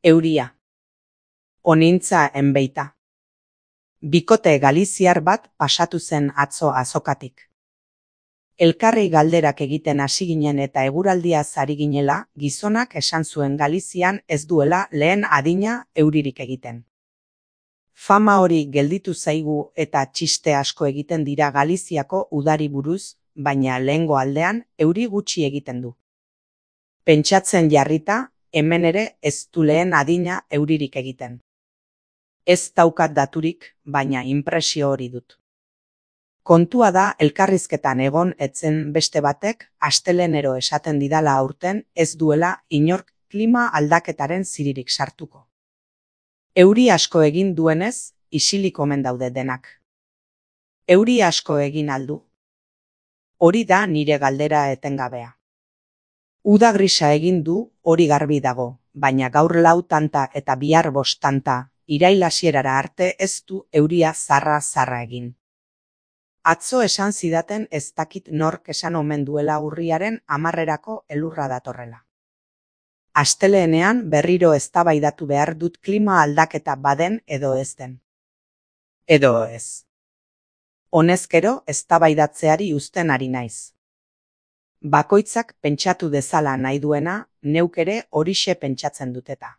Euria. Onintza enbeita. Bikote galiziar bat pasatu zen atzo azokatik. Elkarri galderak egiten hasi ginen eta eguraldiaz ari ginela, gizonak esan zuen Galizian ez duela lehen adina euririk egiten. Fama hori gelditu zaigu eta txiste asko egiten dira Galiziako udari buruz, baina lehengo aldean euri gutxi egiten du. Pentsatzen jarrita, hemen ere ez du lehen adina euririk egiten. Ez daukat daturik, baina inpresio hori dut. Kontua da elkarrizketan egon etzen beste batek astelehenero esaten didala aurten ez duela inork klima aldaketaren ziririk sartuko. Euri asko egin duenez, isilik omen daude denak. Euri asko egin aldu. Hori da nire galdera etengabea. Uda grisa egin du, hori garbi dago, baina gaur 4 tanta eta bihar 5 tanta, irail hasierara arte ez du euria zarra egin. Atzo esan zidaten ez dakit nork esan omen duela urriaren 10erako elurra datorrela. Astelehenean berriro eztabaidatu behar dut klima aldaketa baden edo ez den. Edo ez. Honezkero eztabaidatzeari uzten ari naiz. Bakoitzak pentsatu dezala nahi duena, neuk ere horixe pentsatzen dut eta.